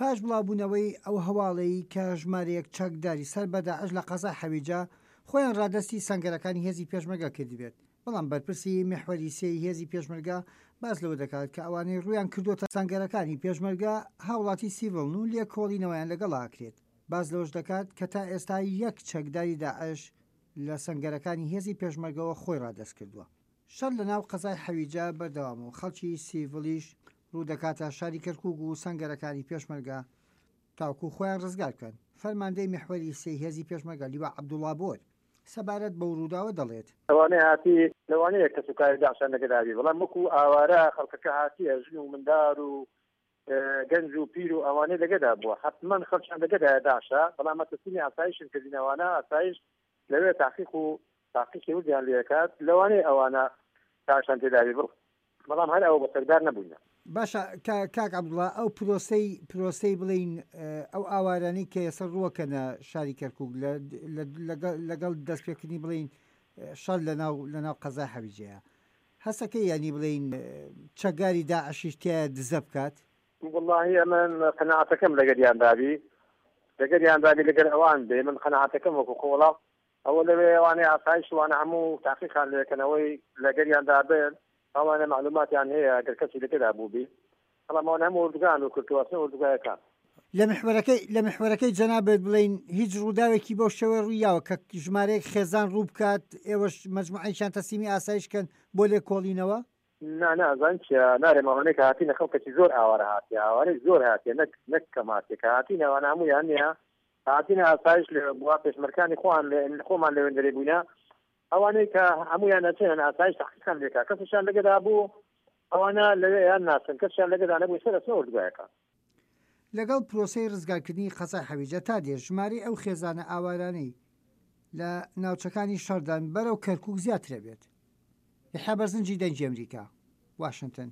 پاش بڵاوبوونەوەی ئەو هەواڵەی کە ژمارەیەک چەکداری سەر بە داعش لە قەزای حەویجە خۆیان ڕادەستی سەنگەرەکانی هێزی پێشمەرگە کردبێت، بەڵام بەرپرسی میحوەری سێی هێزی پێشمەرگە باس لەوە دەکات کە ئەوانەی ڕوویان کردۆتە سەنگەرەکانی پێشمەرگە هاوڵاتی سیڤڵن و لێکۆڵینەوەیان لەگەڵا ئەکرێت. باس لەوەش دەکات کە تا ئێستا یەک چەکداری داعش لە سەنگەرەکانی هێزی پێشمەرگەوە خۆی ڕادەست کردووە. شەڕ لە ناو قەزای حەویجە بەردەوامە و خەڵکی سیڤڵیش ڕوو دەکاتە شاری کەرکوک و سەنگەرەکانی پێشمەرگە تاوەکو خۆیان ڕزگار بکەن. فەرماندەی میحوەری سێی هێزی پێشمەرگە لیوا عەبدوڵا بۆر سەبارەت بەو ڕووداوە دەڵێت. لەوانەیە هاتی لەوانەیە کەسوکاری داعشیان لەگەلا بی بەڵام وەکو ئاوارە خەڵکەکە هاتیە ژن و مندار و گەنج و پیر و ئەوانەی لەگەدا بووە حەتمەن خەڵکیان لەگەدایە داعشە بەڵام ئەمە تەسلیمی ئاسایشن کردین ئەوانە ئاسایش لەوێ تاقیق و تاقیقی وردیان لێکات لەوانەیە ئەوانە داعشیان تێدابی بەڵام هەر ئەوە بە چەکدار نەبووینە. باشە کاک عەبدوڵا ئەو پرۆسەی پرۆسەی بڵێین ئەو ئاوارانەی کە ئێستا ڕووەکەنە شاری کەرکوک لەگەڵ دەستپێکردنی بڵێین شەڕ لەناو لەناو قەزای حەویجەیە هەستەکەی یانی بڵێین چەکگاری داعشیش تیایە دزە بکات؟ وەڵاهی ئەمن قەناعەتەکەم لەگەریان دابی لەگەریان دابی لەگەر ئەوان بێ من قەناعەتەکەم وەکو خۆ وەڵا ئەوە لەوێ ئەوانەی ئاسایش وانە هەموو تاقیقان لێکەنەوەی لەگەریان دابن ئەوانە مەعلوماتیان هەیە گەر کەسی لەگەدا بووبی بەڵام ئەوانە هەموو ئوردوگان و کورتواسن ئوردوگایەکان. لە میحوەرەکەی لە میحوەرەکەی جەنابت بڵێین هیچ ڕووداوێکی بەو شێوەیە ڕووی یاوە کە ژمارەیەک خێزان ڕوو بکات ئێوەش مەجموعەیەکیان تەسلیمی ئاسایش کەن بۆ لێکۆڵینەوە؟ نا نا ئەزانی چیە نارێم ئەوانەی کە هاتینە خەڵکەکی زۆر ئاوارە هاتیە ئاوارەی زۆر هاتیە نەک نەک کەم هاتیە کە هاتینە ئەوانە هەموویان نیە هاتینە ئاسایش لێ بووە پێشمەرکانی خۆیان لێ خۆمان لەوێندەرێ بووینە ئەوانەی کە هەموویان ئەچن ئاسایش تەحقیقیان لێکا کەسیشیان لەگەدا بوو ئەوانە لەوێ یان ناسن کەسیان لەگەدا نەبوو سەر ئەچنە ئۆردوگایەکە. لەگەڵ پرۆسەی ڕزگارکردنی قەزای حەویجە تا دێت ژمارەی ئەو خێزانە ئاوارانەی لە ناوچەکانی شەڕدان بەرەو کەرکوک زیاترەبێت. یەحیا بەرزنجی دەنگی ئەمریکا، واشنتن.